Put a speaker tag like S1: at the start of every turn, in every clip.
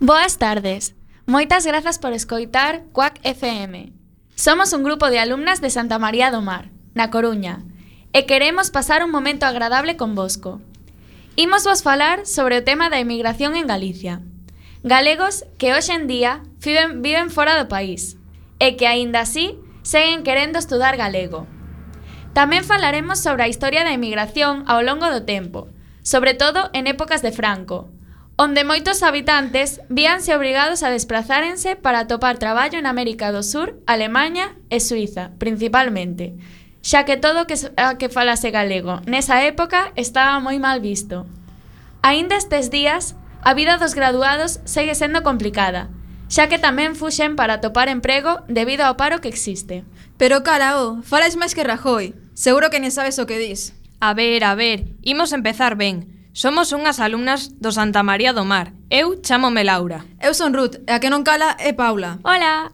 S1: Boas tardes. Moitas grazas por escoitar Cuac FM. Somos un grupo de alumnas de Santa María do Mar, na Coruña, e queremos pasar un momento agradable convosco. Imos vos falar sobre o tema da emigración en Galicia. Galegos que hoxe en día viven fora do país e que aínda así seguen querendo estudar galego. Tamén falaremos sobre a historia da emigración ao longo do tempo, sobre todo en épocas de Franco, onde moitos habitantes víanse obrigados a desplazárense para atopar traballo en América do Sur, Alemaña e Suiza, principalmente, xa que todo que falase galego nesa época estaba moi mal visto. Aínda estes días, a vida dos graduados segue sendo complicada, xa que tamén fuxen para atopar emprego debido ao paro que existe.
S2: Pero carao, falas máis que Rajoy. Seguro que nem sabes o que dis.
S3: A ver, imos empezar ben. Somos unhas alumnas do Santa María do Mar. Eu chámome Laura.
S2: Eu son Ruth, e a que non cala é Paula.
S1: Hola!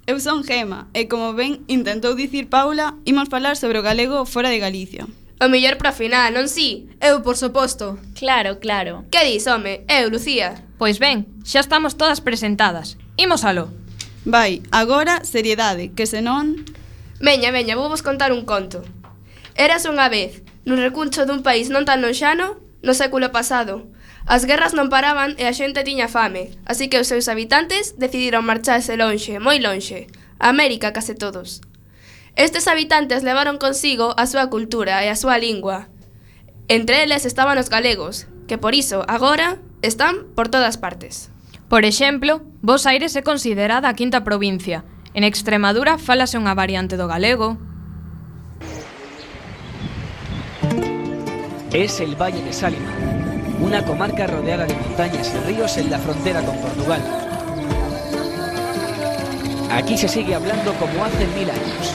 S4: Eu son Gema, e como ben intentou dicir Paula, imos falar sobre o galego fora de Galicia.
S5: O mellor para final, non si?
S2: Eu, por suposto.
S1: Claro.
S5: Que dis, home? Eu, Lucía.
S3: Pois ben, xa estamos todas presentadas. Imos aló.
S4: Vai, agora, seriedade, que senón...
S5: Veña, vou vos contar un conto. Eras unha vez, nun recuncho dun país non tan lonxano, no século pasado. As guerras non paraban e a xente tiña fame, así que os seus habitantes decidiron marcharse lonxe, moi lonxe, a América case todos. Estes habitantes levaron consigo a súa cultura e a súa lingua. Entre eles estaban os galegos, que por iso, agora, están por todas partes.
S3: Por exemplo, Bos Aires é considerada a quinta provincia. En Extremadura fálase unha variante do galego.
S6: Es el Valle de Sálima, una comarca rodeada de montañas y ríos en la frontera con Portugal. Aquí se sigue hablando como hace 1000 años.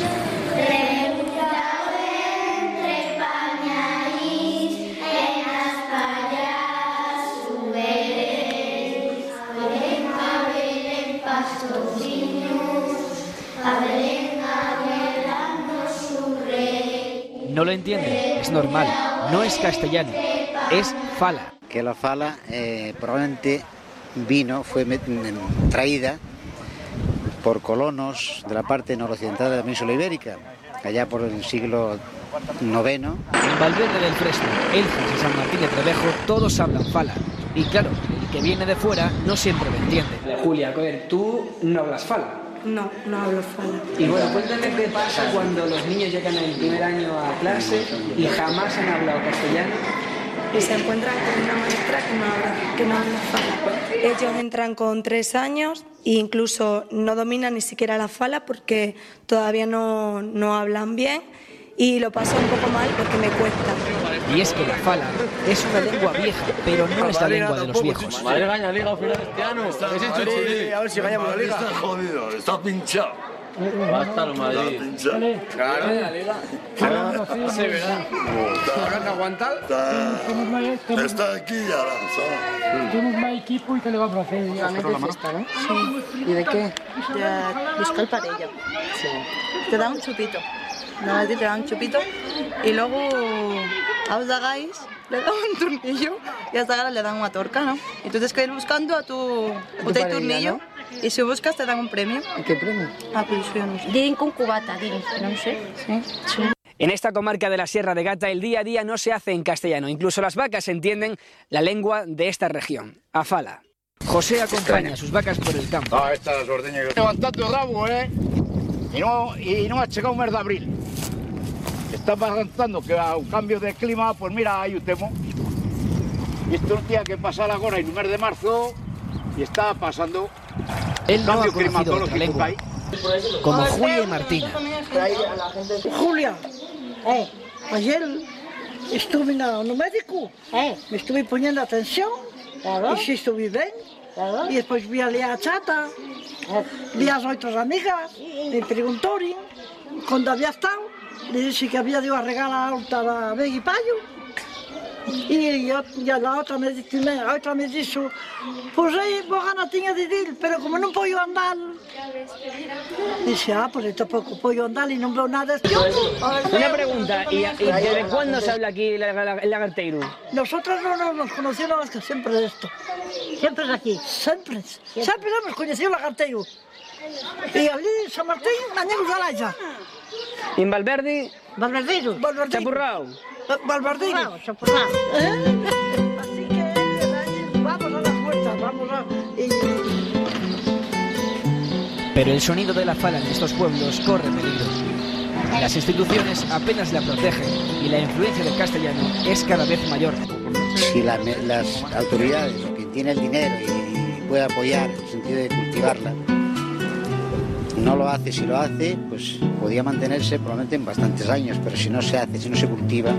S6: No lo entienden, es normal, no es castellano, es fala.
S7: Que la fala probablemente fue traída por colonos de la parte noroccidental de la península ibérica, allá por el siglo IX.
S6: En Valverde del Fresno, Elfas y San Martín de Trevejo todos hablan fala. Y claro, el que viene de fuera no siempre lo entiende.
S8: Julia, a ver, tú no hablas fala.
S9: No hablo fala.
S8: Y bueno, cuéntame qué pasa cuando los niños llegan el primer año a clase y jamás han hablado castellano.
S9: Y se encuentran con una maestra que no habla fala. Ellos entran con 3 años e incluso no dominan ni siquiera la fala porque todavía no hablan bien y lo paso un poco mal porque me cuesta.
S6: Y es que la fala es una lengua vieja, pero no es la lengua de los viejos.
S10: Madrid gana la liga al final de este año. A ver si ganamos la liga. Está jodido, está pinchado. Va a estar el Madrid. Claro. La liga. Sí, ¿verdad? ¿Habrá que aguantar? Está aquí y ahora.
S11: Tenemos más equipo y que le vamos a hacer.
S9: Ganas de fiesta, ¿no? Sí. ¿Y de qué? De buscar parella. Sí. Te da un chupito. Nada, te da un chupito y luego a os hagáis, le dan un tornillo y hasta ahora le dan una torca, ¿no? Y tú tienes que ir buscando a tu tornillo, ¿no? Y si buscas te dan un premio.
S8: ¿Y qué premio?
S9: Ah, pues yo no sé.
S12: Dicen con cubata, no sé.
S9: Sí.
S6: En esta comarca de la Sierra de Gata el día a día no se hace en castellano. Incluso las vacas entienden la lengua de esta región, a fala. José acompaña a sus vacas por el campo.
S10: Ah, estas ordeñas que... Levantando el rabo, Y no ha llegado un mes de abril. Está pasando que a un cambio de clima, pues mira, hai o temo. E isto un día que pasar agora en un mes de marzo e está pasando
S6: Él no ha conocido otra lengua, como Julia y Martina.
S11: Julia, ayer estuve no médico, me estuve poniendo atención, y sí estuve bien, y después vi a la chata, vi a las otras amigas, me preguntaron cuando había estado, le dije que había ido a regalar a la Begui Payo, Y la otra me dijo, pues Bogana tenía de ir, pero como no puedo andar, dice, pues yo tampoco puedo andar y no veo nada.
S6: Una pregunta, ¿y desde cuándo se habla aquí el lagarteiro?
S11: Nosotros no nos conocemos más que siempre de esto. Siempre es aquí. Siempre hemos conocido el lagarteiro. Y allí en San Martín, años de Alaya.
S6: ¿Y en Valverde?
S11: Valverdeiro.
S6: ¿Chapurrao?
S11: Valverdeiro. Chapurrao. Así que vamos a las vueltas, vamos a...
S6: Pero el sonido de la fala en estos pueblos corre peligro. Las instituciones apenas la protegen y la influencia del castellano es cada vez mayor.
S7: Si las autoridades, o quien tiene el dinero y puede apoyar en el sentido de cultivarla, no lo hace, si lo hace, pues podría mantenerse probablemente en bastantes años, pero si no se hace, si no se cultiva,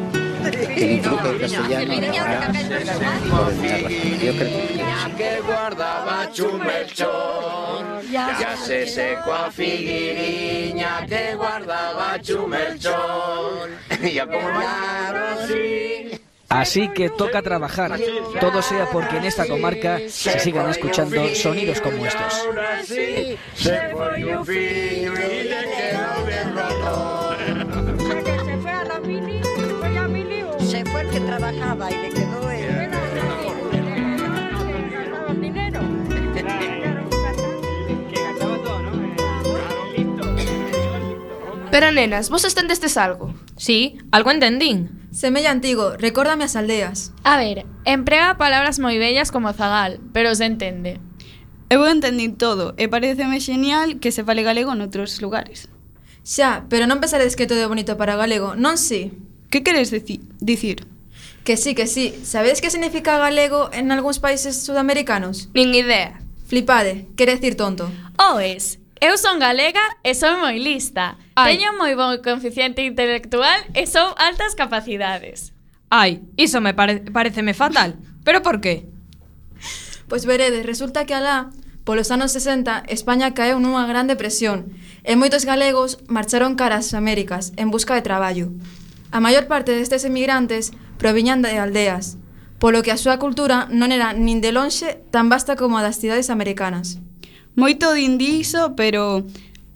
S7: el influjo del castellano acabará por eliminar la fala. Yo creo
S10: que guardaba Chumelchón, ya se secó a figuiriña que guardaba Chumelchón, y a comer así.
S6: Así que toca trabajar, todo sea porque en esta comarca se sigan escuchando sonidos como estos.
S10: Se fue un fillo y le quedó bien roto.
S11: Se fue a la mili, se fue el que trabajaba y le quedó el dinero.
S5: Pero nenas, vos entendestes algo?
S3: Sí, algo entendín.
S2: Semella antigo, recórdame as aldeas.
S1: A ver, emprega palabras moi bellas como zagal, pero se entende.
S4: Eu entendín todo e pareceme genial que se fale galego noutros lugares.
S2: Xa, pero non pensaredes que todo é bonito para o galego, non si?
S4: Que queres dicir?
S2: Que sí. Sabedes que significa galego en algúns países sudamericanos?
S5: Nin idea.
S2: Flipade, quere decir tonto.
S1: Oes, eu son galega e son moi lista. Teño moi bon coeficiente intelectual e son altas capacidades.
S3: Ai, iso me pareceme fatal. Pero por qué?
S2: Pois veredes, resulta que alá, polos anos 60, España caeu nunha gran depresión e moitos galegos marcharon cara ás Américas en busca de traballo. A maior parte destes emigrantes proviñan de aldeas, polo que a súa cultura non era nin de lonxe tan vasta como a das cidades americanas.
S4: Moito dindizo, pero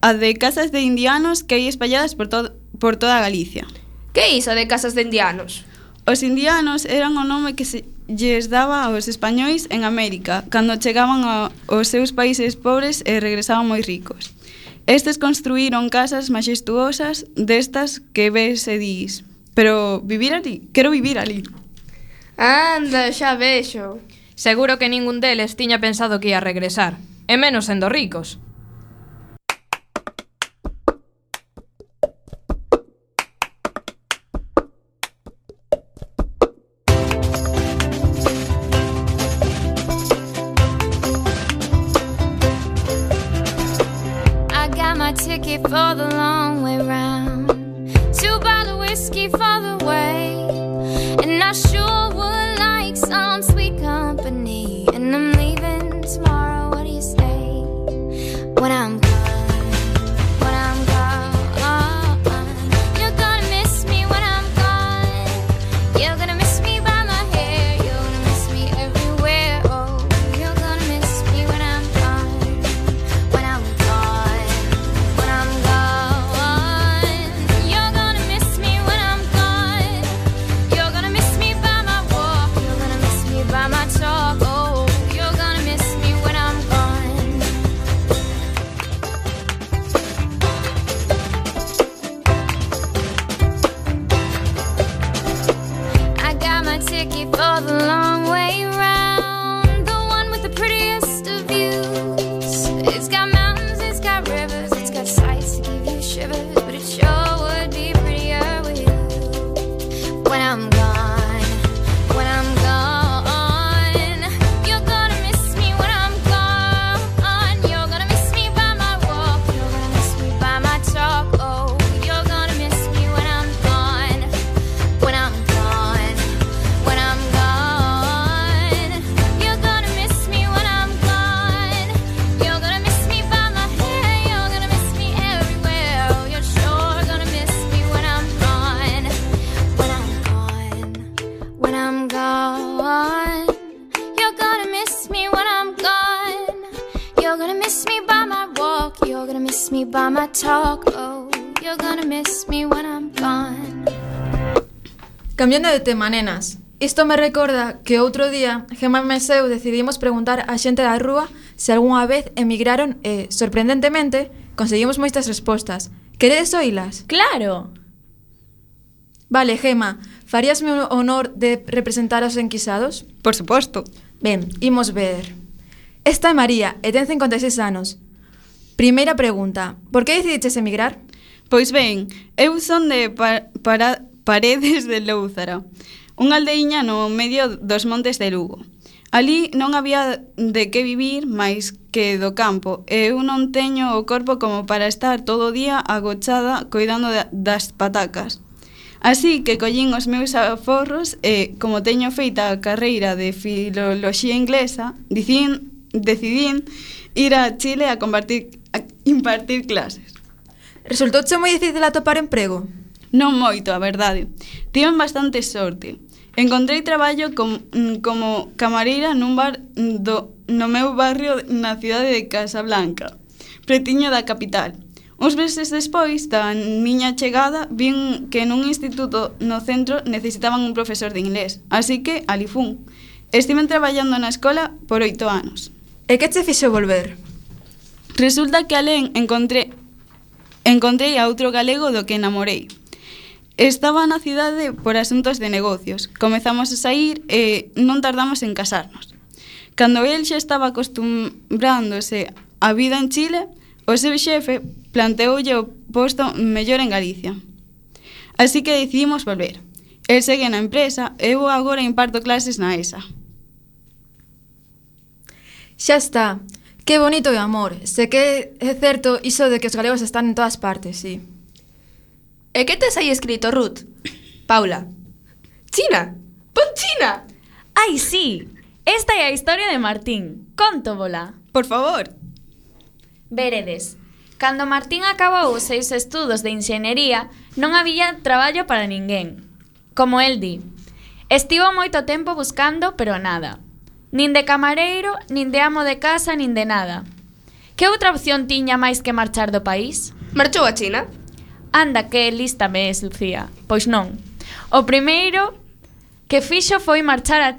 S4: a de casas de indianos que hai espalladas por toda Galicia.
S5: Que iso de casas de indianos?
S4: Os indianos eran o nome que se lles daba aos españois en América, cando chegaban aos seus países pobres e regresaban moi ricos. Estes construíron casas maxestuosas destas que ves e dis, pero vivir ali, quero vivir ali.
S5: Anda, xa vexo.
S3: Seguro que ningún deles tiña pensado que ia regresar, e menos sendo ricos.
S13: Ticket for the long way round, 2 bottle whiskey for the way, and I sure would like some sweet company. And I'm leaving tomorrow. What do you say? When I'm gone, when I'm gone, you're gonna miss me when I'm gone. You're gonna miss me by my hair. You're gonna miss me everywhere. Oh, you're gonna miss me when I'm gone. When I'm gone. You're gonna miss me when I'm gone. You're gonna miss me by my walk. You're gonna miss me by my talk. Oh, you're gonna miss me when I'm gone. I got my ticket for the long way round, the one with the prettiest of views. It's got mountains, it's got rivers, it's got sights to give you shivers, but it sure would be prettier with you. When I'm gone, when I'm gone, you're gonna miss me when I'm gone. You're gonna miss me by my walk, you're gonna miss me by my talk. Oh, you're gonna miss me when I'm gone. When I'm gone, when I'm gone, you're gonna miss me when I'm gone. You're gonna miss me by my hair, you're gonna miss me everywhere. Oh, you're sure gonna my talk. Oh, you're gonna miss me when I'm gone.
S2: Cambiando de tema, nenas. Isto me recorda que outro día Gemma e eu decidimos preguntar a xente da rúa se algunha vez emigraron e, sorprendentemente, conseguimos moitas respostas. Queredes oílas?
S1: Claro!
S2: Vale, Gemma, faríasme o honor de representar aos enquisados?
S4: Por suposto.
S2: Ben, imos ver. Esta é María e ten 56 anos. Primeira pregunta, por que decidiches emigrar?
S4: Pois ben, eu son de Paredes de Lóuzara, unha aldeiña no medio dos montes de Lugo. Ali non había de que vivir máis que do campo e eu non teño o corpo como para estar todo o día agochada coidando das patacas. Así que collín os meus aforros e, como teño feita a carreira de filoloxía inglesa, decidín ir a Chile a impartir clases.
S2: Resultouche moi difícil atopar emprego?
S4: Non moito, a verdade. Tiven bastante sorte. Encontrei traballo como camareira nun bar no meu barrio na cidade de Casablanca, pretiño da capital. Uns meses despois da miña chegada, vin que nun instituto no centro necesitaban un profesor de inglés, así que ali fun. Estiven traballando na escola por 8 anos.
S2: E que che fixo volver?
S4: Resulta que alén encontrei a outro galego do que enamorei. Estaba na cidade por asuntos de negocios. Comezamos a sair e non tardamos en casarnos. Cando el xa estaba acostumbrándose á vida en Chile, o seu xefe planteoulle o posto mellor en Galicia. Así que decidimos volver. El segue na empresa e eu agora imparto clases na ESA.
S2: Xa está. Que bonito e amor. Se que é certo iso de que os galegos están en todas partes, sí.
S5: E que tes aí escrito, Ruth? Paula. China. Pon China.
S1: Ai, sí. Esta é a historia de Martín. Contóvola.
S4: Por favor.
S1: Veredes. Cando Martín acabou os seus estudos de enxeñería, non había traballo para ninguén. Como el di. Estivo moito tempo buscando, pero nada. Nin de camareiro, nin de amo de casa, nin de nada. Que outra opción tiña máis que marchar do país?
S5: Marchou a China.
S1: Anda, que lista me es, Lucía. Pois non. O primeiro que fixo foi marchar a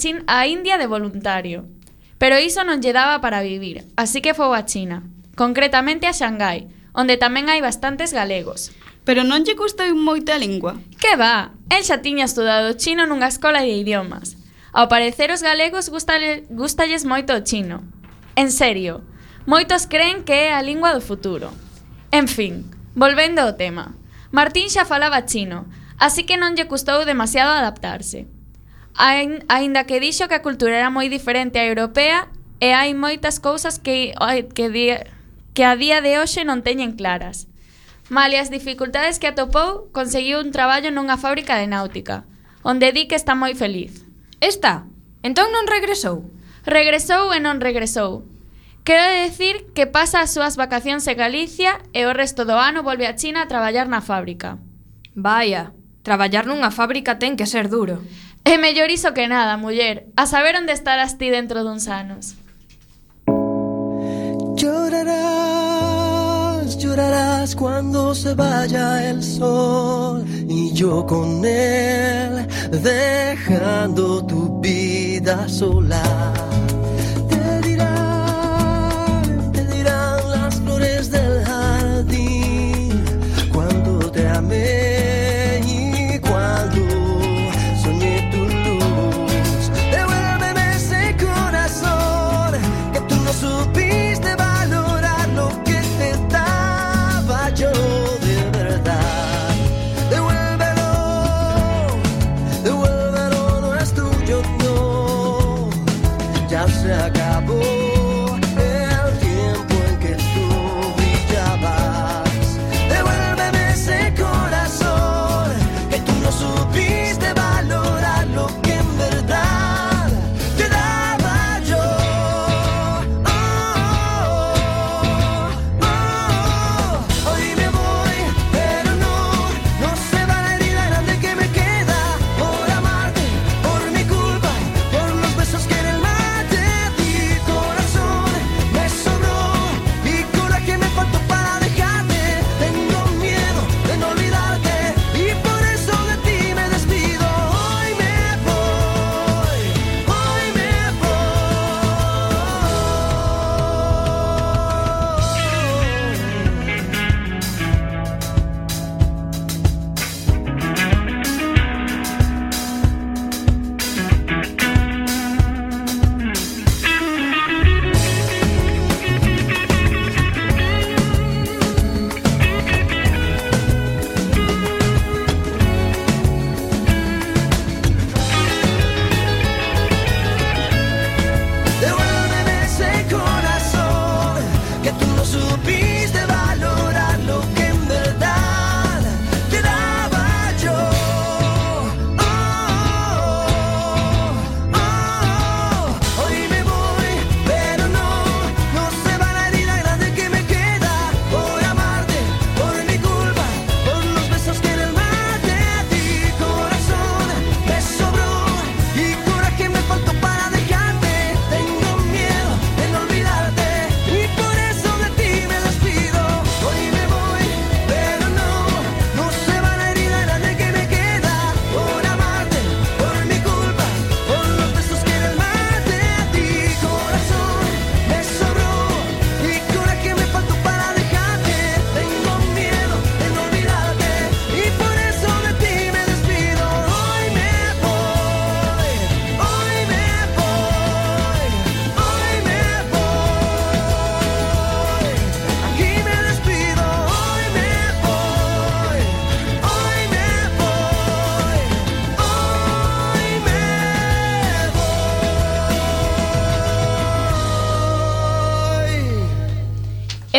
S1: India de voluntario. Pero iso non lle daba para vivir, así que foi a China. Concretamente a Xangai, onde tamén hai bastantes galegos.
S4: Pero non lle custou moita a lingua?
S1: Que va? El xa tiña estudado chino nunha escola de idiomas. Ao parecer os galegos gustalles moito o chino. En serio, moitos creen que é a lingua do futuro. En fin, volvendo ao tema. Martín xa falaba chino, así que non lle custou demasiado adaptarse. Aínda que dixo que a cultura era moi diferente á europea e hai moitas cousas que a día de hoxe non teñen claras. Malia as dificultades que atopou, conseguiu un traballo nunha fábrica de náutica, onde di que está moi feliz.
S3: Está? Entón non regresou?
S1: Regresou e non regresou. Quero decir que pasa as súas vacacións en Galicia e o resto do ano volve a China a traballar na fábrica.
S3: Vaya, traballar nunha fábrica ten que ser duro.
S1: É mellor iso que nada, muller. A saber onde estarás ti dentro duns anos.
S14: Llorarás, llorarás cuando se vaya el sol y yo con él, dejando tu vida sola. Te dirán las flores del jardín cuando te amé y cuando soñé tu luz. Devuélveme ese corazón que tú no supiste valorar lo que te daba yo de verdad. Devuélvelo, devuélvelo, no es tuyo, no.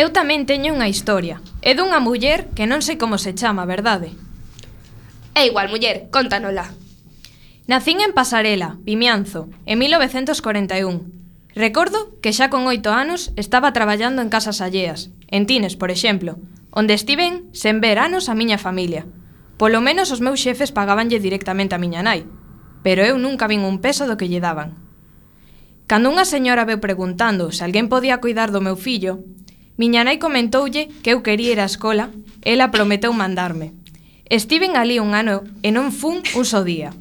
S3: Eu tamén teño unha historia. É dunha muller que non sei como se chama, verdade?
S5: É igual, muller, contánola.
S3: Nacín en Pasarela, Vimianzo, en 1941. Recordo que xa con 8 anos estaba traballando en casas alleas, en Tines, por exemplo, onde estiven sen ver anos a miña familia. Polo menos os meus xefes pagabanlle directamente a miña nai, pero eu nunca vin un peso do que lle daban. Cando unha señora veu preguntando se alguén podía cuidar do meu fillo, miña nai comentoulle que eu quería ir á escola e ela prometeu mandarme. Estiven ali un ano e non fun un só día.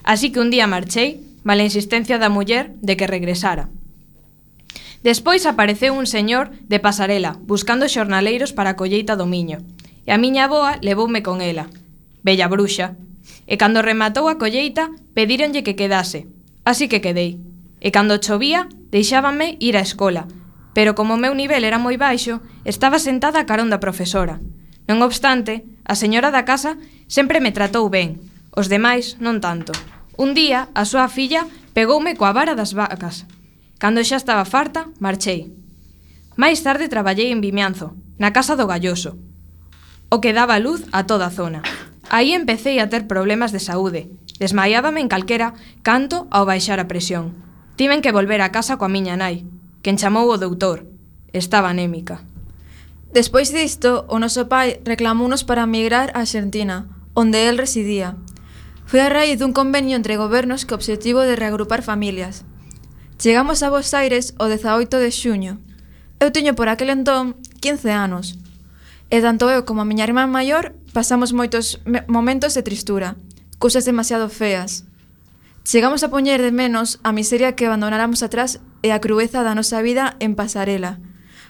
S3: Así que un día marchei, mala insistencia da muller de que regresara. Despois apareceu un señor de Pasarela buscando xornaleiros para a colleita do miño, e a miña avoa levoume con ela, bella bruxa, e cando rematou a colleita pedíronlle que quedase, así que quedei, e cando chovía deixábanme ir á escola, pero como o meu nivel era moi baixo, estaba sentada a carón da profesora. Non obstante, a señora da casa sempre me tratou ben, os demais non tanto. Un día, a súa filla pegoume coa vara das vacas. Cando xa estaba farta, marchei. Mais tarde traballei en Vimianzo, na casa do Galloso, o que daba luz a toda a zona. Aí empecé a ter problemas de saúde. Desmaiábame en calquera canto ao baixar a presión. Tiven que volver a casa coa miña nai, quen chamou o doutor. Estaba anémica.
S2: Despois disto, o noso pai reclamounos para migrar a Argentina, onde el residía. Foi a raíz dun convenio entre gobernos co obxectivo de reagrupar familias. Chegamos a Buenos Aires o 18 de xuño. Eu tiño por aquel entón 15 anos. E tanto eu como a miña irmá maior pasamos moitos momentos de tristura, cousas demasiado feas. Chegamos a poñer de menos a miseria que abandonáramos atrás e a crueza da nosa vida en Pasarela,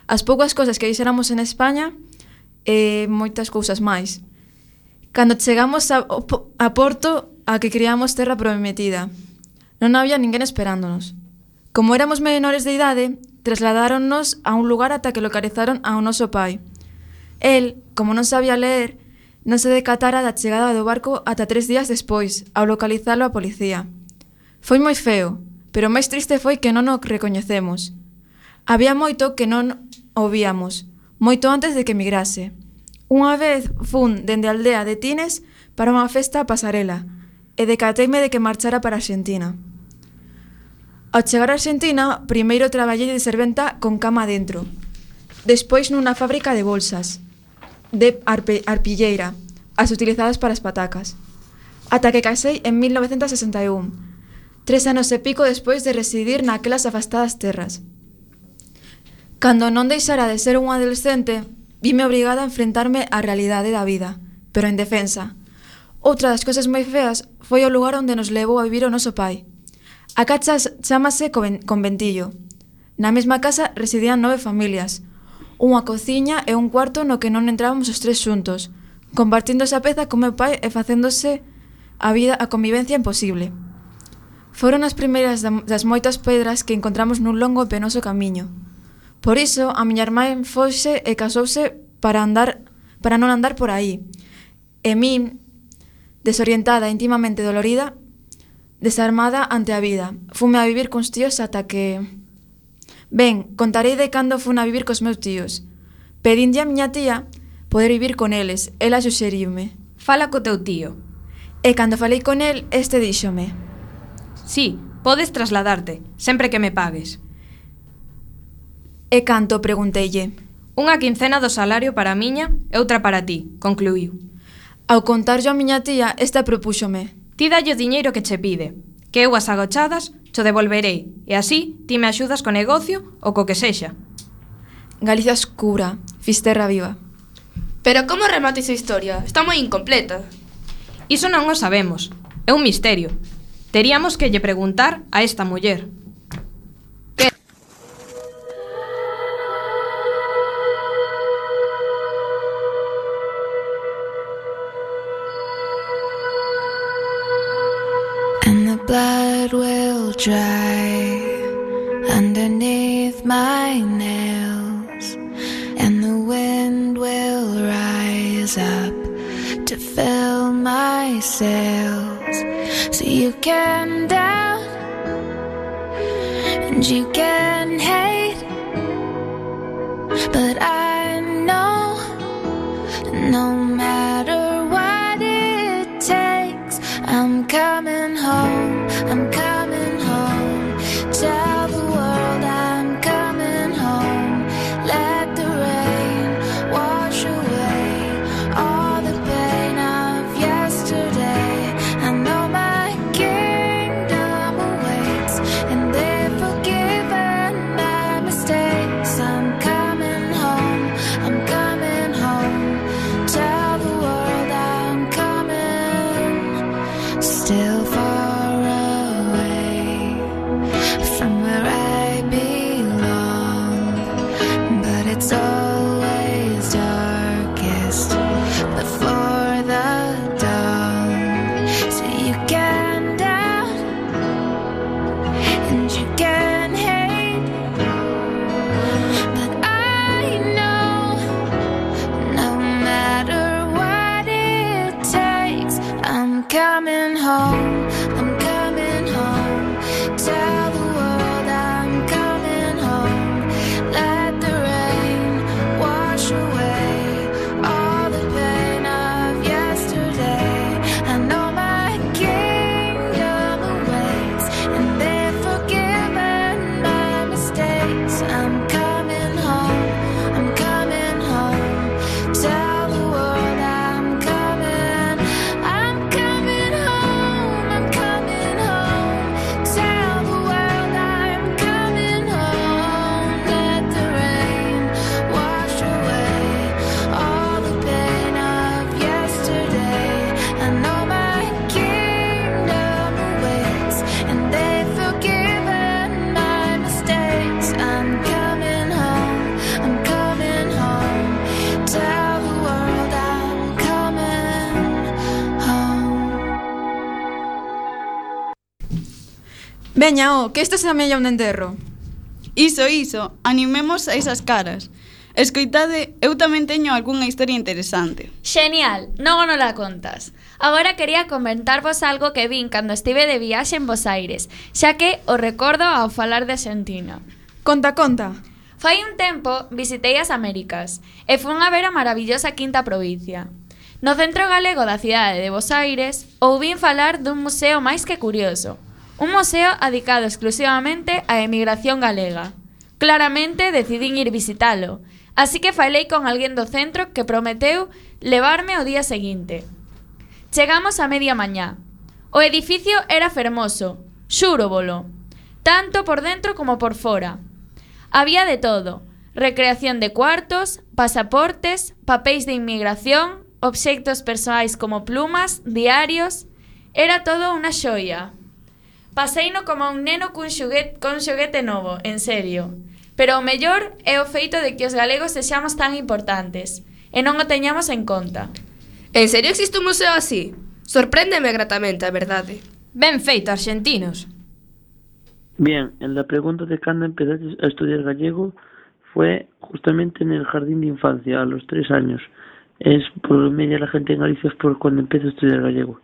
S2: as poucas cousas que deixáramos en España e moitas cousas máis. Cando chegamos a Porto, a que criamos terra prometida, non había ninguén esperándonos. Como éramos menores de idade, trasladáronnos a un lugar ata que localizaron ao noso pai. El, como non sabía ler, non se decatara da chegada do barco ata 3 días despois, ao localizalo a policía. Foi moi feo, pero o máis triste foi que non o recoñecemos. Había moito que non o víamos, moito antes de que migrase. Unha vez fun dende a aldea de Tines para unha festa a Pasarela e decateime de que marchara para Argentina. Ao chegar a Argentina, primeiro traballei de serventa con cama dentro, despois nunha fábrica de bolsas, de arpilleira, as utilizadas para as patacas, ata que casei en 1961, 3 anos e pico despois de residir naquelas afastadas terras. Cando non deixara de ser un adolescente, vime obrigada a enfrentarme á realidade da vida, pero en defensa. Outra das cousas moi feas foi o lugar onde nos levou a vivir o noso pai. A casa chámase Conventillo. Na mesma casa residían 9 familias, unha cociña e un cuarto no que non entrábamos os 3 xuntos, compartindo esa peza con meu pai e facéndose a convivencia imposible. Foron as primeiras das moitas pedras que encontramos nun longo e penoso camiño. Por iso, a miña irmá foxe e casouse para non andar por aí. E min, desorientada e intimamente dolorida, desarmada ante a vida, fume a vivir cuns tíos ata que... Ben, contarei de cando fun a vivir cos meus tíos. Pedinlle a miña tía poder vivir con eles, ela suxeriume.
S3: Fala co teu tío.
S2: E cando falei con el, este díxome:
S3: Sí, podes trasladarte, sempre que me pagues.
S2: E canto, pregunteille.
S3: Unha quincena do salario para a miña e outra para ti, concluíu.
S2: Ao contarlle a miña tía, esta propúxome:
S3: Ti dalle o diñeiro que che pide, que eu as agochadas cho devolverei, e así ti me axudas co negocio ou co que sexa.
S2: Galicia oscura, Fisterra viva.
S5: Pero como remata esa historia? Está moi incompleta.
S3: Iso non o sabemos, é un misterio. Teríamos que lle preguntar a esta muller.
S13: And the blood will dry underneath my nails, and the wind will rise up to fill my sails. So you can doubt and you can hate, but I No matter what it takes, I'm coming home, I'm coming home. Tell the world I'm coming home. Let the rain wash away all the pain of yesterday. I know my kingdom awaits, and they've forgiven my mistakes. I'm coming home, I'm coming home. Tell the world I'm coming. Still far away from where I belong, but it's always darkest before the dawn. So you can doubt and you can hate, but I know no matter what it takes, I'm coming home, I'm coming home. Tell the world I'm coming home. Let the rain wash away all the pain of yesterday. I know my kingdom awaits, and they've forgiven my mistakes. I'm coming home, I'm coming home. Tell the world I'm coming home, I'm coming home. Tell the world I'm coming home. Let the rain wash away all the pain of yesterday. I know my kingdom awaits, and they've forgiven my mistakes. I'm coming home, I'm coming home. Tell the world I'm coming home.
S2: Veña, que isto se amella un enterro.
S4: Iso, animemos a esas caras. Escoitade, eu tamén teño algunha historia interesante.
S1: Genial, non la contas. Agora quería comentarvos algo que vin cando estive de viaxe en Bos Aires, xa que o recordo ao falar de Argentina.
S2: Conta, conta.
S1: Fai un tempo visitei as Américas e fun a ver a maravillosa Quinta Provincia. No centro galego da cidade de Bos Aires ouvin falar dun museo máis que curioso. Un museo dedicado exclusivamente á emigración galega. Claramente decidín ir visitalo, así que falei con alguén do centro que prometeu levarme o día seguinte. Chegamos a media mañá. O edificio era fermoso, xúrovolo, tanto por dentro como por fora. Había de todo: recreación de cuartos, pasaportes, papéis de inmigración, obxectos persoais como plumas, diarios. Era todo unha xoia. Paseino como un neno cun xoguete novo, en serio. Pero o mellor é o feito de que os galegos sexamos tan importantes e non o teñamos en conta.
S5: En serio existe un museo así? Sorpréndeme gratamente, a verdade.
S3: Ben feito, argentinos.
S15: Bien, en la pregunta de cuándo empezaste a estudiar gallego fue justamente en el jardín de infancia, a los 3 años. Es por media la gente en Galicia es por cuando empieza a estudiar gallego.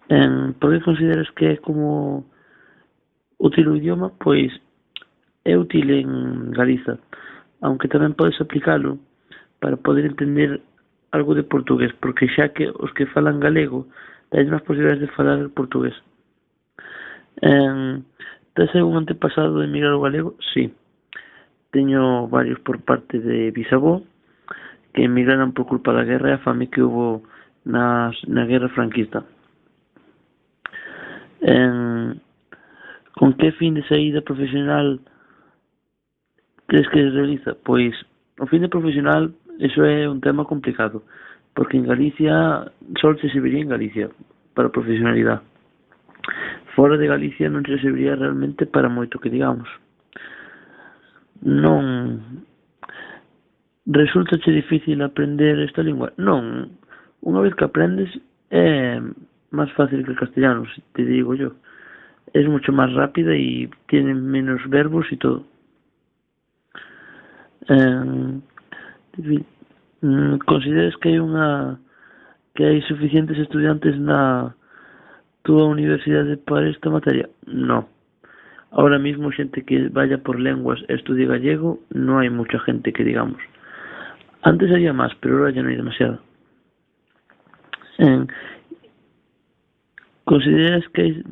S15: ¿Por qué consideras que é como útil o idioma? Pois é útil en Galiza, aunque tamén podes aplicalo para poder entender algo de portugués, porque xa que os que falan galego tens máis posibilidades de falar portugués. Tes algún antepasado de emigrar ao galego? Sí. Teño varios por parte de bisavó que emigraron por culpa da guerra e a fame que hubo na guerra franquista. Con que fin de saída profesional crees que se realiza? Pois o fin de profesional, eso é un tema complicado, porque en Galicia só se serviría en Galicia para profesionalidade. Fora de Galicia non se serviría realmente para moito que digamos. Non resulta difícil aprender esta lingua? Non, unha vez que aprendes é más fácil que el castellano, si te digo yo. Es mucho más rápida y tiene menos verbos y todo. ¿Consideras que hay suficientes estudiantes na túa universidade para esta materia? No. Ahora mismo xente que vaya por lenguas e estudie gallego, no hay mucha gente que digamos. Antes había más, pero ahora ya no hay demasiado. Consideras que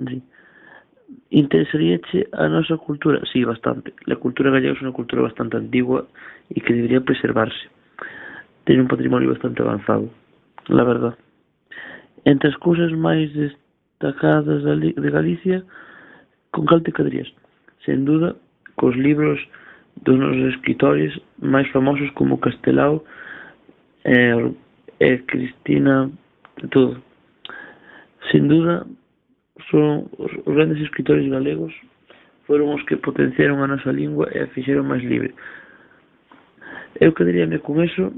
S15: interesaríache a nosa cultura? Sí, bastante. La cultura gallega es una cultura bastante antigua y que debería preservarse. Tiene un patrimonio bastante avanzado, la verdad. Entre as cousas máis destacadas de Galicia, con cal te quedarías? Sen duda, cos libros dos nosos escritores máis famosos como Castelao e Cristina, todo. Sin duda, son os grandes escritores galegos, foron os que potenciaron a nosa lingua e a fixeron máis libre. Eu quedaríame con eso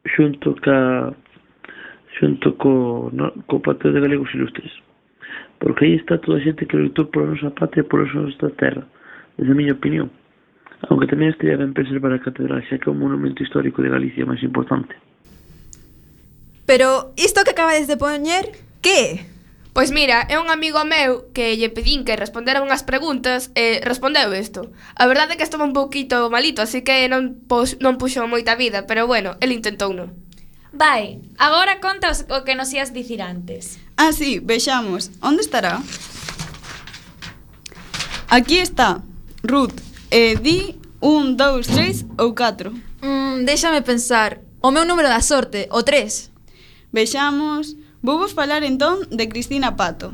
S15: xunto co Patio de Galegos Ilustres, porque aí está toda a xente que loitou pola nosa patria, pola nosa terra, desde a miña opinión, aunque tamén estaría ben preservar a catedral, xa que é o monumento histórico de Galicia máis importante.
S2: Pero isto que acabades de poñer, que é?
S5: Pois mira, é un amigo meu que lle pedín que respondera unhas preguntas e respondeu isto. A verdade é que estaba un pouquito malito, así que non puxo moita vida, pero bueno, el intentouno.
S1: Vai, agora conta o que nos ías dicir antes.
S4: Ah, sí, vexamos. Onde estará? Aquí está. Ruth, di 1, 2, 3 ou 4.
S2: Déxame pensar. O meu número da sorte, o 3.
S4: Vexamos. Vouvos falar entón de Cristina Pato,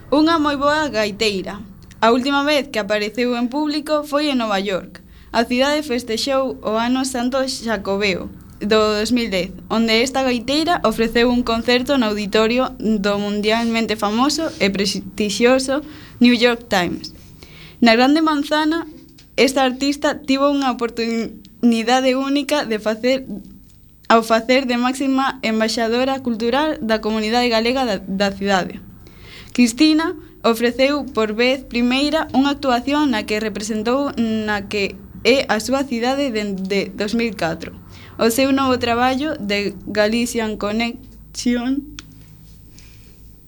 S4: unha moi boa gaiteira. A última vez que apareceu en público foi en Nova York. A cidade festexou o ano Santo Xacobeo do 2010, onde esta gaiteira ofreceu un concerto no auditorio do mundialmente famoso e prestixioso New York Times. Na Grande Manzana, esta artista tivo unha oportunidade única de facer de máxima embaixadora cultural da comunidade galega da cidade. Cristina ofreceu por vez primeira unha actuación na que representou na que é a súa cidade dende 2004. O seu novo traballo de Galician Connection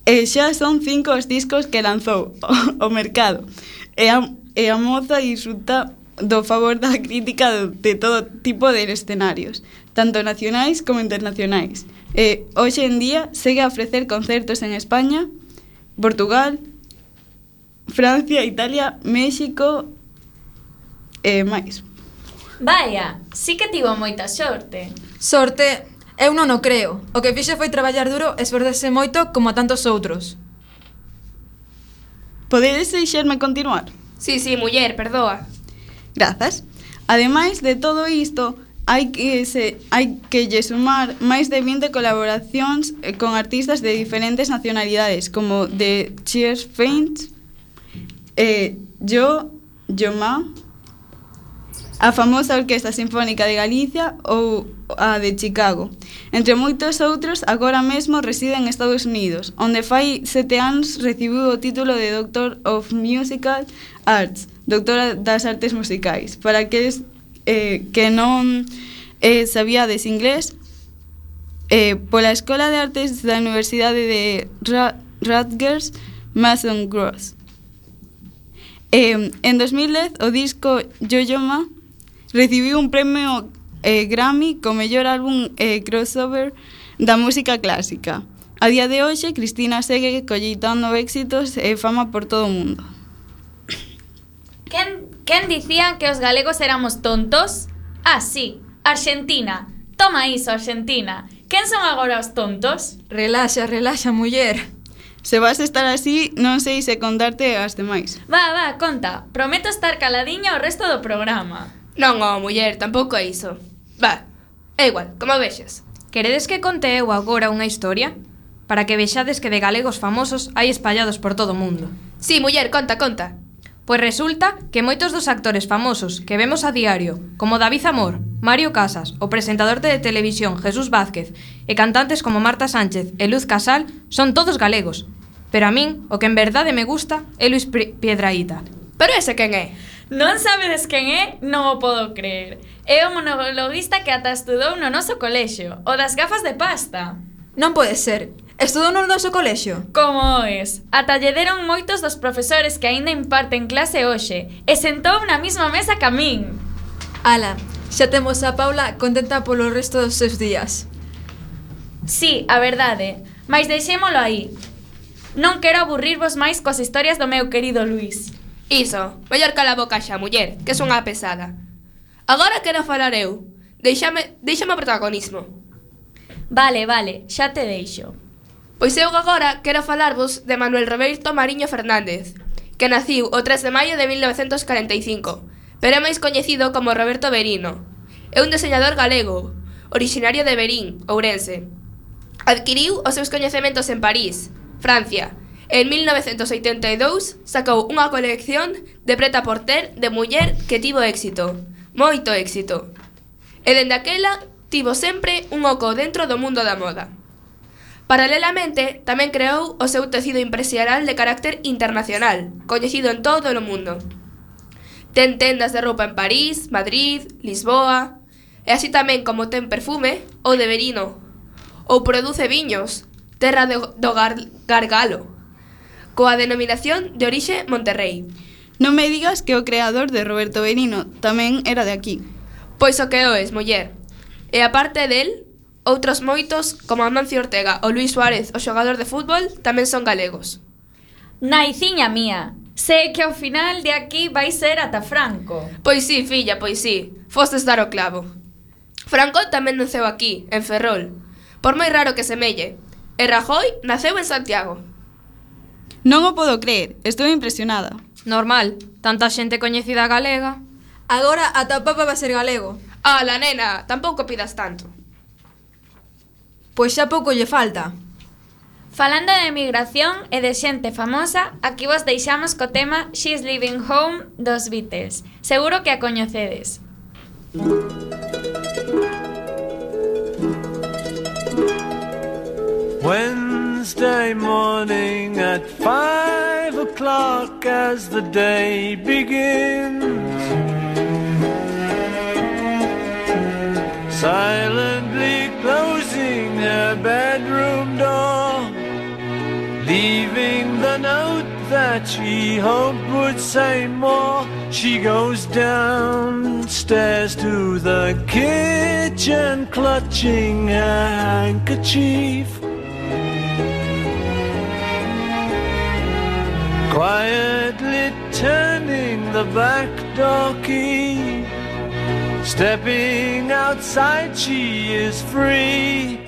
S4: xa son 5 os discos que lanzou ao mercado e a moza disfruta do favor da crítica de todo tipo de escenarios, tanto nacionais como internacionais. Hoxe en día segue a ofrecer concertos en España, Portugal, Francia, Italia, México e máis.
S1: Vaya, sí que tivo moita sorte.
S2: Sorte, eu non o creo. O que fixe foi traballar duro e esforzarse moito como a tantos outros.
S4: Podedes deixarme continuar?
S5: Sí, muller, perdoa.
S4: Grazas. Ademais de todo isto, hai que lle sumar máis de 20 colaboracións con artistas de diferentes nacionalidades, como The Cheers Faints, Yoma, a famosa Orquesta Sinfónica de Galicia ou a de Chicago. Entre moitos outros, agora mesmo reside en Estados Unidos, onde fai 7 anos recibiu o título de Doctor of Musical Arts, doctora das artes musicais. Para aqueles que non sabíades inglés, pola Escola de Artes da Universidade de Rutgers, Mason Gross. En 2010, o disco Yo-Yo-Ma recibiu un premio Grammy co mellor álbum crossover da música clásica. A día de hoxe, Cristina segue colleitando éxitos e fama por todo o mundo.
S1: Quen dicían que os galegos éramos tontos? Ah, sí, Argentina. Toma iso, Argentina. Quen son agora os tontos?
S2: Relaxa, muller.
S4: Se vas estar así, non sei se contarte as demais.
S1: Va, conta. Prometo estar caladiña o resto do programa.
S5: Non, muller, tampouco é iso. Va, é igual, como vexas.
S3: Queredes que conte eu agora unha historia? Para que vexades que de galegos famosos hai espallados por todo o mundo.
S5: Sí, muller, conta.
S3: Pois resulta que moitos dos actores famosos que vemos a diario, como David Amor, Mario Casas, o presentador de televisión Jesús Vázquez e cantantes como Marta Sánchez e Luz Casal, son todos galegos. Pero a min, o que en verdade me gusta é Luis Piedrahita.
S5: Pero ese quen é?
S1: Non sabedes quen é? Non o podo creer. É o monologuista que ata estudou no noso colexio, o das gafas de pasta.
S2: Non pode ser. Estudou no noso colexio?
S1: Como es? Ata lle deron moitos dos profesores que aínda imparten clase hoxe e sentou na mesma mesa que a min.
S2: Ala, xa temos a Paula contenta polo resto dos seus días.
S1: Sí, a verdade. Mais deixémolo aí. Non quero aburrirvos máis coas historias do meu querido Luís.
S5: Iso, mellor cala a boca xa, muller, que son unha pesada. Agora quero falar eu. Deixame o protagonismo.
S1: Vale, xa te deixo.
S5: Pois eu agora quero falarvos de Manuel Roberto Mariño Fernández, que naciu o 3 de maio de 1945, pero é máis coñecido como Roberto Verino. É un deseñador galego, originario de Verín, Ourense. Adquiriu os seus coñecementos en París, Francia. En 1982 sacou unha colección de prêt-à-porter de muller que tivo éxito, moito éxito. E dende aquela tivo sempre un oco dentro do mundo da moda. Paralelamente, tamén creou o seu tecido empresarial de carácter internacional, coñecido en todo o mundo. Ten tendas de roupa en París, Madrid, Lisboa, e así tamén como ten perfume, ou de Verino, ou produce viños, terra do Gargalo, coa denominación de orixe Monterrey.
S4: Non me digas que o creador de Roberto Verino tamén era de aquí.
S5: Pois o que o es, muller. E aparte del, outros moitos, como Amancio Ortega ou Luís Suárez, o xogador de fútbol, tamén son galegos.
S1: Naiciña mía, sei que ao final de aquí vai ser ata Franco.
S5: Pois sí, filla, pois sí, fostes dar o clavo. Franco tamén naceu aquí, en Ferrol, por moi raro que semelle. E Rajoy naceu en Santiago.
S4: Non o podo creer, estou impresionada.
S3: Normal, tanta xente coñecida galega.
S2: Agora ata o Papa va ser galego.
S5: La nena, tampouco pidas tanto.
S2: Pois xa pouco lle falta.
S1: Falando de emigración e de xente famosa, aquí vos deixamos co tema She's Leaving Home dos Beatles. Seguro que a coñecedes.
S16: Wednesday morning at 5 o'clock as the day begins, silently closing her bedroom door, leaving the note that she hoped would say more. She goes downstairs to the kitchen, clutching her handkerchief, quietly turning the back door key. Stepping outside, she is free.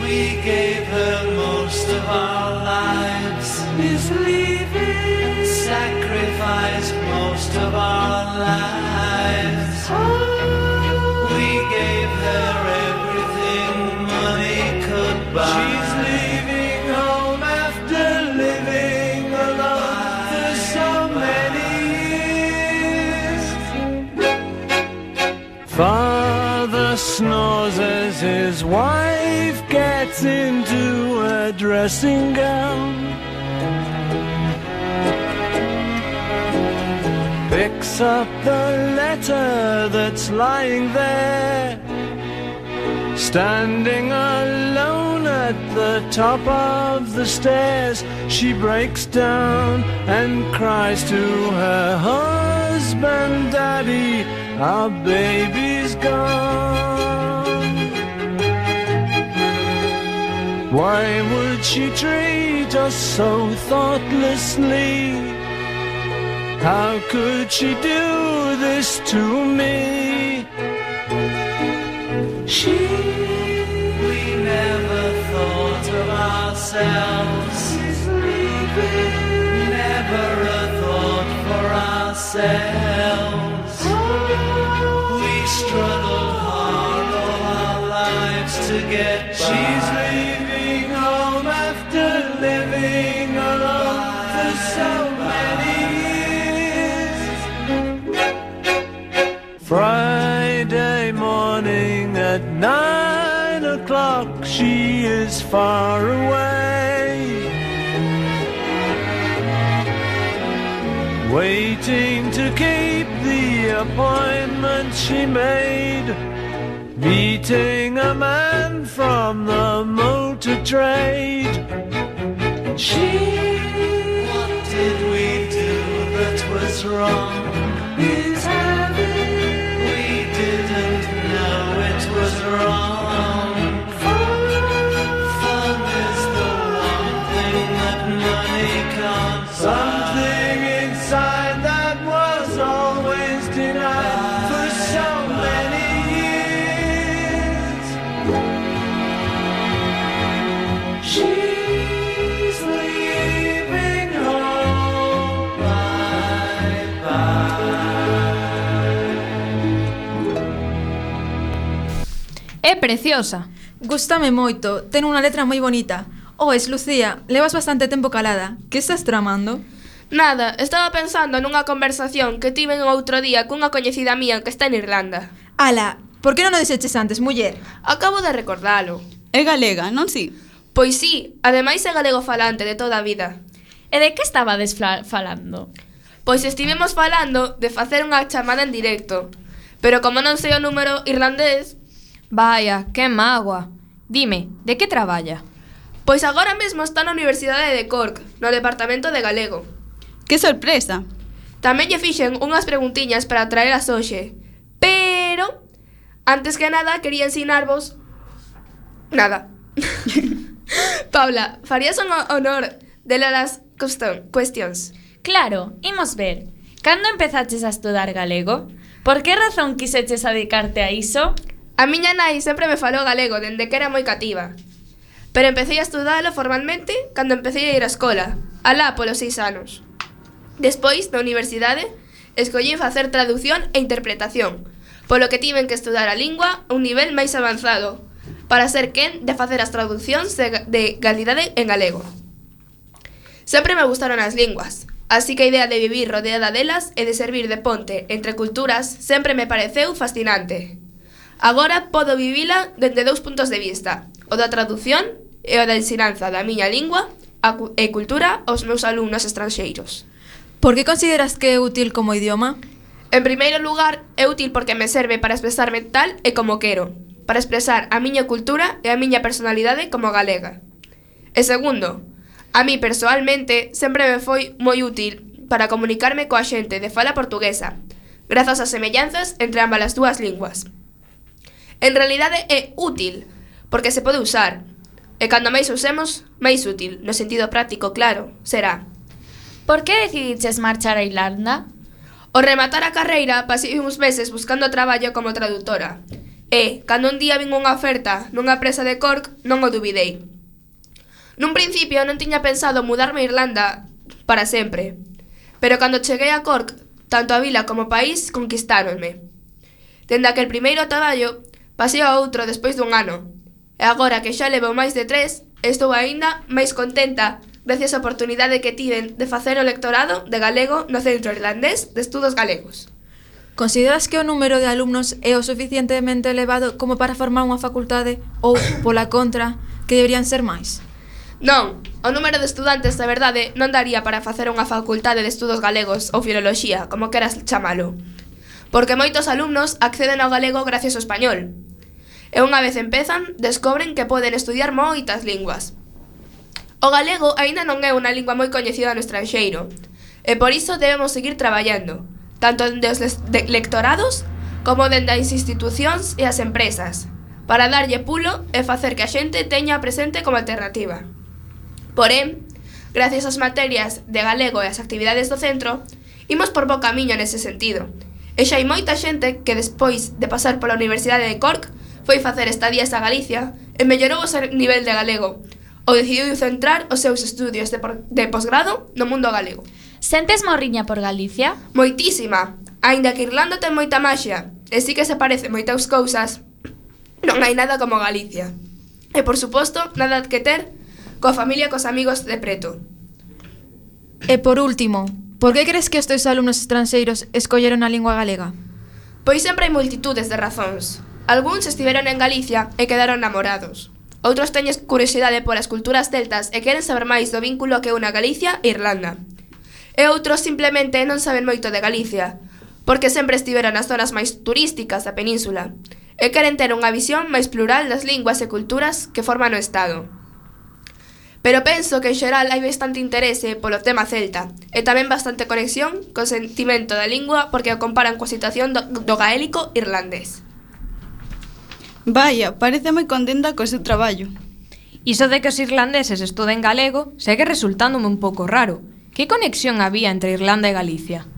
S16: We gave her most of our lives, is leaving, sacrificed most of our lives. We gave her everything money could buy. She's leaving home after living alone for so many years. Father snores as his wife gets into a dressing gown, picks up the letter that's lying there, standing alone at the top of the stairs. She breaks down and cries to her husband, "Daddy, our baby's gone." Why would she treat us so thoughtlessly? How could she do this to me? We never thought of ourselves, never a thought for ourselves. We struggled hard all our lives to get by. She's leaving home after living alone for so many years. Friday morning at 9 o'clock, she is far away, waiting to keep the appointment she made, meeting a man from the motor trade. What did we do that was wrong? Is having, we didn't know it was wrong.
S3: preciosa!
S2: Gústame moito, ten unha letra moi bonita. Oes, Lucía, levas bastante tempo calada. Que estás tramando?
S5: Nada, estaba pensando nunha conversación que tiven outro día cunha coñecida mía que está en Irlanda.
S2: Ala, por que non o deseches antes, muller?
S5: Acabo de recordalo.
S4: É galega, non si?
S5: Pois sí, ademais é galego falante de toda a vida.
S1: E de que estabades falando?
S5: Pois estivemos falando de facer unha chamada en directo, pero como non sei o número irlandés...
S3: Vaya, que mágoa. Dime, de que traballa?
S5: Pois agora mesmo está na Universidade de Cork, no Departamento de Galego.
S4: Que sorpresa!
S5: Tamén lle fixen unhas preguntiñas para traelas hoxe, pero... Antes que nada, quería ensinarvos... Nada. Paula, farías un honor de las cuestións?
S1: Claro, imos ver. Cando empezaches a estudar galego? Por que razón quiseches dedicarte a iso?
S5: A miña nai sempre me falou galego dende que era moi cativa. Pero empecé a estudalo formalmente cando empecé a ir á escola, alá polos 6 anos. Despois, na universidade, escollín facer traducción e interpretación, polo que tiven que estudar a lingua a un nivel máis avanzado, para ser quen de facer as traduccións de calidade en galego. Sempre me gustaron as linguas, así que a idea de vivir rodeada delas e de servir de ponte entre culturas sempre me pareceu fascinante. Agora podo vivila dende 2 puntos de vista, o da traducción e o da ensinanza da miña lingua e cultura aos meus alumnos estranxeiros.
S2: Por que consideras que é útil como idioma?
S5: En primeiro lugar, é útil porque me serve para expresarme tal e como quero, para expresar a miña cultura e a miña personalidade como galega. E segundo, a mí persoalmente sempre me foi moi útil para comunicarme coa xente de fala portuguesa, grazas ás semellanzas entre ambas as dúas linguas. En realidade é útil, porque se pode usar, e cando máis usemos, máis útil, no sentido práctico, claro, será.
S1: Por que decidiches marchar a Irlanda?
S5: Ao rematar a carreira, pasei uns meses buscando traballo como traductora, e, cando un día vin unha oferta nunha empresa de Cork, non o dubidei. Nun principio non tiña pensado mudarme a Irlanda para sempre, pero cando cheguei a Cork, tanto a vila como o país conquistáronme. Dende aquel primeiro traballo, pasei a outro despois dun ano, e agora que xa levo máis de 3, estou aínda máis contenta gracias á oportunidade que tiven de facer o lectorado de galego no Centro Irlandés de Estudos Galegos.
S2: Consideras que o número de alumnos é o suficientemente elevado como para formar unha facultade ou, pola contra, que deberían ser máis?
S5: Non, o número de estudantes de verdade non daría para facer unha facultade de estudos galegos ou filoloxía, como queras chamalo, porque moitos alumnos acceden ao galego gracias ao español, e unha vez empezan, descobren que poden estudiar moitas linguas. O galego aínda non é unha lingua moi coñecida no estranxeiro, e por iso debemos seguir traballando, tanto dende os lectorados como dende as institucións e as empresas, para darlle pulo e facer que a xente teña presente como alternativa. Porén, gracias ás materias de galego e as actividades do centro, imos por bo camiño nese sentido, e xa hai moita xente que despois de pasar pola Universidade de Cork foi facer estadías a Galicia e mellorou o seu nivel de galego, ou decidiu centrar os seus estudios de posgrado no mundo galego.
S1: Sentes morriña por Galicia?
S5: Moitísima, aínda que Irlanda ten moita maxia, e sí que se parece moitas cousas, non hai nada como Galicia. E, por suposto, nada que ter coa familia e cos amigos de preto.
S2: E por último, por que crees que os teus alumnos estranxeiros escolleron a lingua galega?
S5: Pois sempre hai multitudes de razóns. Algúns estiveron en Galicia e quedaron namorados. Outros teñen curiosidade polas culturas celtas e queren saber máis do vínculo que une a Galicia e Irlanda. E outros simplemente non saben moito de Galicia, porque sempre estiveron nas zonas máis turísticas da península, e queren ter unha visión máis plural das linguas e culturas que forman o Estado. Pero penso que en xeral hai bastante interese polo tema celta, e tamén bastante conexión co sentimento da lingua porque o comparan coa situación do gaélico irlandés.
S4: Vaya, parece moi contenta co seu traballo.
S3: Iso de que os irlandeses estuden galego segue resultándome un pouco raro. Que conexión había entre Irlanda e Galicia?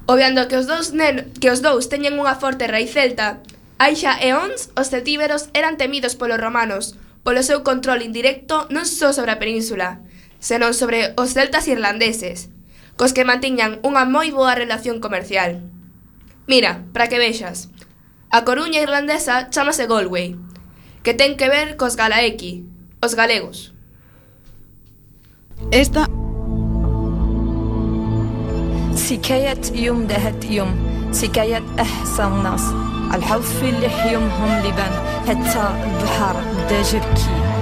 S5: Obviando que os dous teñen unha forte raíz celta, hai xa eóns os celtíberos eran temidos polos romanos polo seu control indirecto non só sobre a península, senón sobre os celtas irlandeses, cos que mantiñan unha moi boa relación comercial. Mira, para que vexas, a Coruña irlandesa chámase Galway, que ten que ver cos galaeki, os galegos.
S4: Esta
S17: سكاية يوم دهت يوم سكاية أحسن ناس الحظ في لحيمهم لبان حتى البحر بدا جركي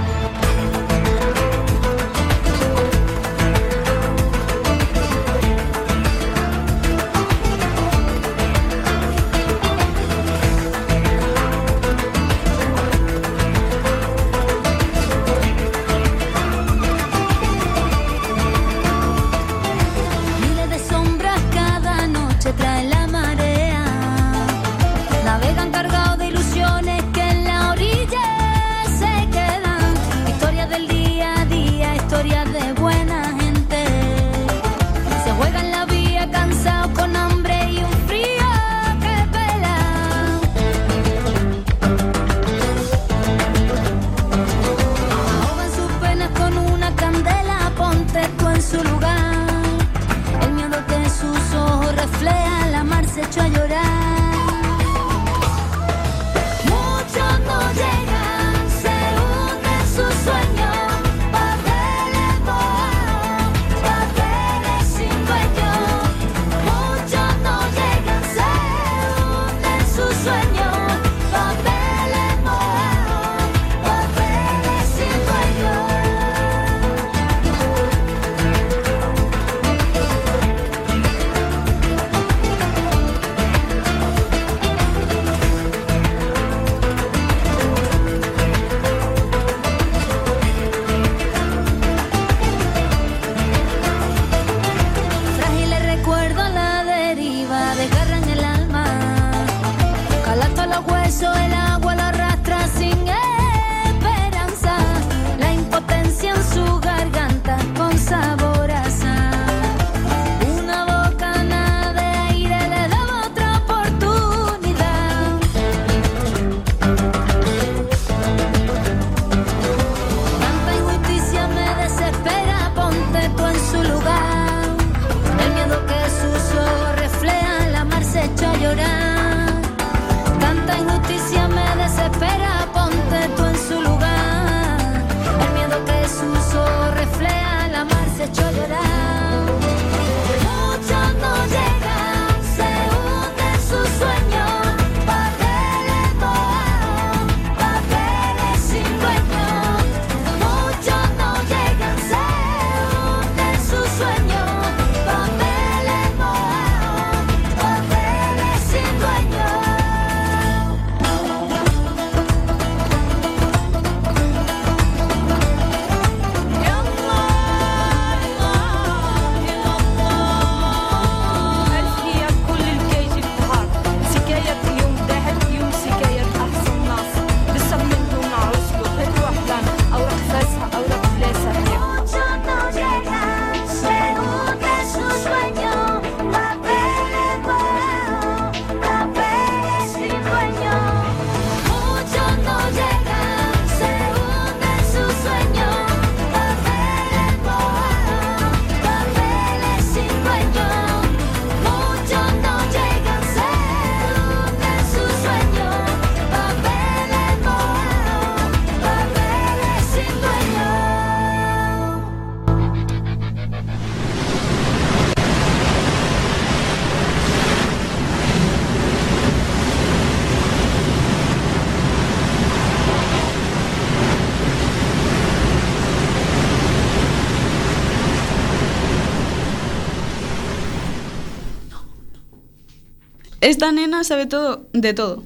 S4: Esta nena sabe todo de todo.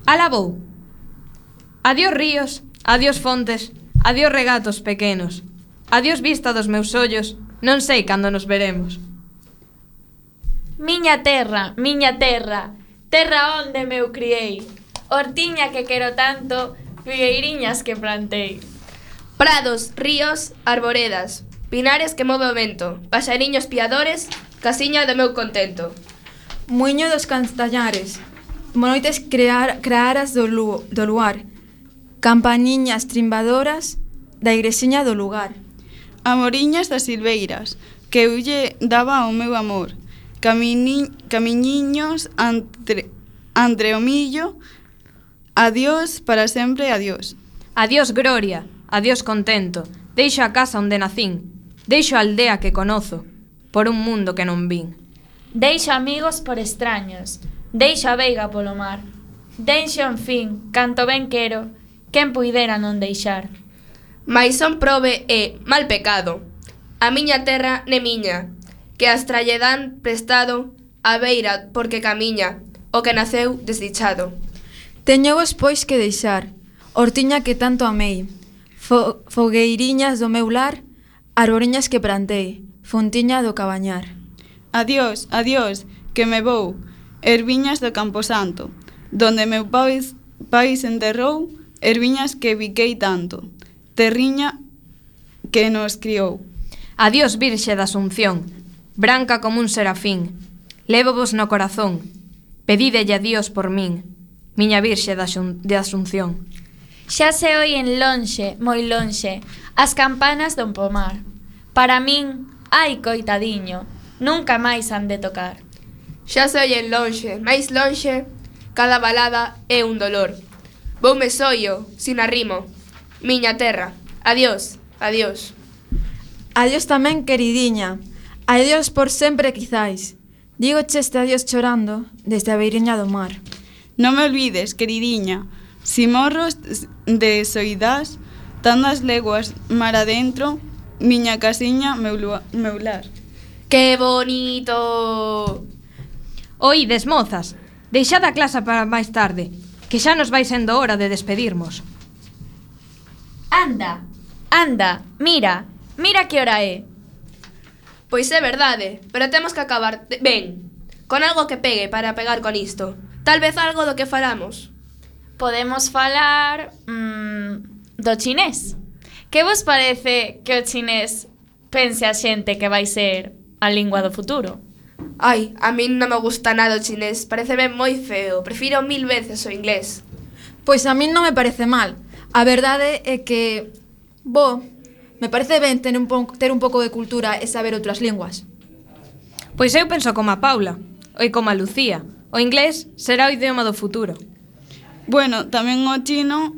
S3: Alabou. Adiós ríos, adiós fontes, adiós regatos pequenos. Adiós vista dos meus ollos, non sei cando nos veremos.
S1: Miña terra, terra onde meu criei, hortiña que quero tanto, figueiriñas que plantei.
S5: Prados, ríos, arboredas, pinares que move o vento, paxariños piadores, casiña do meu contento.
S2: Muiño dos Castañares, monoites crearas do luar, campaniñas trimbadoras da igresiña do lugar.
S4: Amoriñas das silveiras, que eu lle daba ao meu amor, camiñiños entre o millo, Adiós para sempre, adiós.
S3: Adiós gloria, adiós contento. Deixo a casa onde nacín, deixo a aldea que conozo, por un mundo que non vin.
S1: Deixo amigos por extraños, deixo a veiga polo mar. Deixo, en fin, canto ben quero, quen puidera non deixar.
S5: Mais son probe e mal pecado. A miña terra ne miña, que as tralle dan prestado a beira porque camiña, o que naceu desdichado.
S2: Teñovos pois que deixar, hortiña que tanto amei, fogueiriñas do meu lar, arboriñas que plantei, fontiña do cabañar.
S4: Adiós, adiós, que me vou, erviñas do Camposanto, donde meu pais enterrou, erviñas que biquei tanto, terriña que nos criou.
S3: Adiós Virxe da Asunción, branca como un serafín, lévovos no corazón, pedídelle a Dios por min, miña Virxe de Asunción.
S1: Xa se oyen lonxe, moi lonxe, as campanas do pomar. Para min, ai coitadiño, nunca máis han de tocar.
S5: Xa se oyen lonxe, máis lonxe, cada balada é un dolor. Voume soio, sin arrimo, miña terra, adiós, adiós.
S2: Adiós tamén, queridiña, adiós por sempre quizais. Dígoche este adiós chorando desde a beiriña do mar.
S4: Non me olvides, queridiña, si morros de soidás, tantas leguas mar adentro, miña casiña, meu lar.
S5: ¡Qué bonito!
S3: Oídes, mozas, deixad a clase para máis tarde, que xa nos vai sendo hora de despedirmos.
S1: Anda, anda, mira que hora é.
S5: Pois é verdade, pero temos que acabar ben, con algo que pegue para pegar con isto. Tal vez algo do que falamos.
S1: Podemos falar do chinés. Que vos parece que o chinés pense a xente que vai ser a lingua do futuro?
S5: Ai, a min non me gusta nada o chinés, pareceme moi feo, prefiro 1000 veces o inglés.
S2: Pois a min non me parece mal. A verdade é que, me parece ben ter un pouco de cultura e saber outras linguas.
S3: Pois eu penso como a Paula, e como a Lucía. O inglés será o idioma do futuro.
S4: Bueno, tamén o chino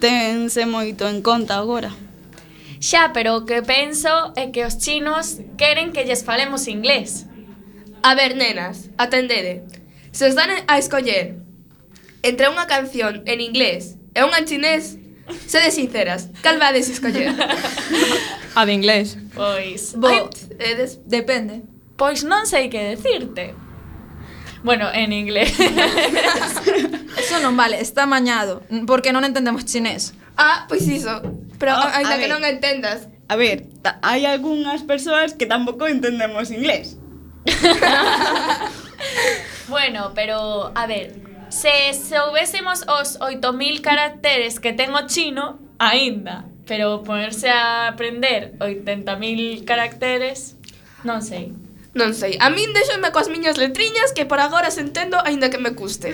S4: tense moito en conta agora.
S1: Xa, pero o que penso é que os chinos queren que lles falemos inglés.
S5: A ver, nenas, atendede. Se os dan a escoller entre unha canción en inglés e unha en chinés, sede sinceras, cal vades escoller?
S3: A de inglés.
S1: Pois,
S2: depende.
S1: Pois non sei que decirte. Bueno, en inglés.
S2: Eso non vale, está mañado, porque non entendemos chinés.
S5: Ah, pois iso. Pero ainda que non entendas.
S4: A ver, hai algunhas persoas que tampouco entendemos inglés.
S1: Bueno, pero, a ver, se soubésemos os 8000 caracteres que ten o chino, aínda. Pero ponerse a aprender 80.000 caracteres, non sei.
S5: Non sei, a min deixome coas miñas letriñas que por agora se entendo aínda que me custe.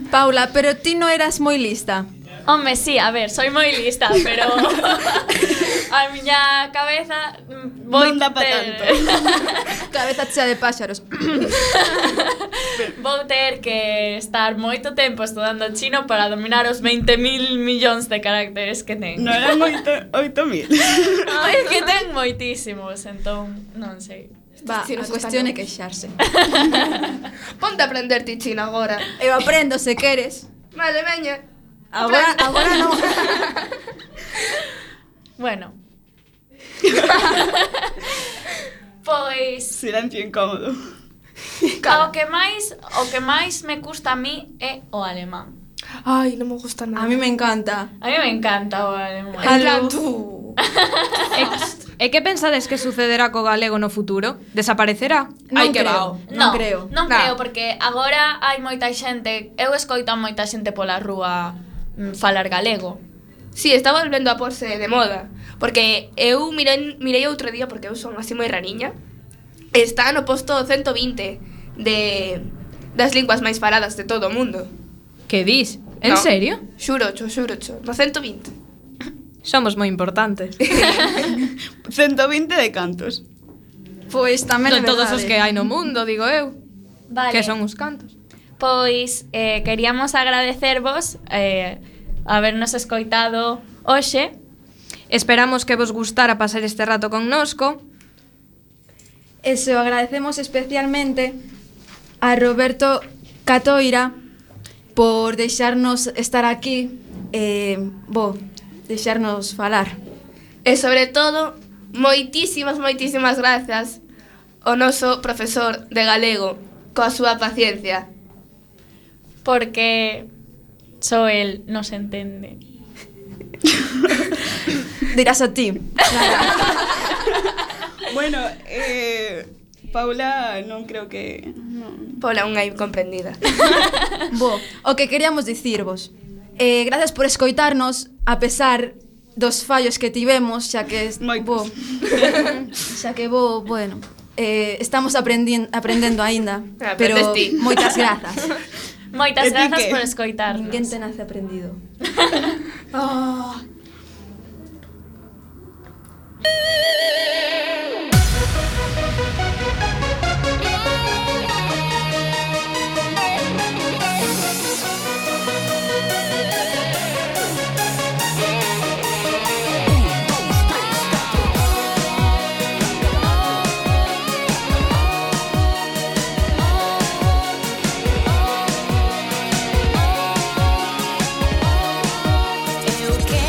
S2: Paula, pero ti non eras moi lista.
S1: Home, sí, a ver, soy moi lista, pero a miña cabeza
S4: non dá pa tanto.
S2: Cabeza chea de páxaros.
S1: Vou ter que estar moito tempo estudando chino para dominar os 20.000 millóns de caracteres que ten.
S4: Non eran 8.000.
S1: É que ten moitísimos, entón, non sei.
S2: Va, a cuestión é queixarse.
S5: Ponte a aprender ti chino agora.
S2: Eu aprendo se queres.
S5: Vale, veña.
S2: Agora non.
S1: Bueno. Pois
S4: silencio incómodo.
S1: O que máis me custa a mí é o alemán.
S5: Ai, non me gusta nada.
S2: A mí me encanta.
S1: A mí me encanta o alemán.
S5: Tú.
S3: E que pensades que sucederá co galego no futuro? Desaparecerá?
S2: Non creo.
S1: Non creo, porque agora hai moita xente, eu escoito a moita xente pola rúa falar galego.
S5: Sí, está volvendo a porse de moda, porque eu mirei outro día, porque eu son así moi rariña, está no posto 120 das linguas máis faladas de todo o mundo.
S3: Que dis? En serio?
S5: Xurocho, no 120.
S3: Somos moi importantes.
S4: 120 de cantos?
S2: Pois tamén é verdade.
S3: Todos os que hai no mundo, digo eu.
S1: Vale.
S3: Que son os cantos.
S1: Pois queríamos agradecervos habernos escoitado hoxe.
S3: Esperamos que vos gustara pasar este rato connosco.
S2: E se o agradecemos especialmente a Roberto Catoira por deixarnos estar aquí e, deixarnos falar.
S5: E sobre todo, moitísimas grazas ao noso profesor de galego coa súa paciencia.
S1: Porque só el nos entende.
S2: Dirás a ti.
S4: Bueno, Paula non creo que...
S5: Paula unha incomprendida.
S2: O que queríamos dicirvos, gracias por escoitarnos a pesar dos fallos que tivemos, xa que bueno, estamos aprendendo aínda, pero moitas grazas.
S1: Moitas grazas por escoitarnos.
S2: Ninguén te nace aprendido.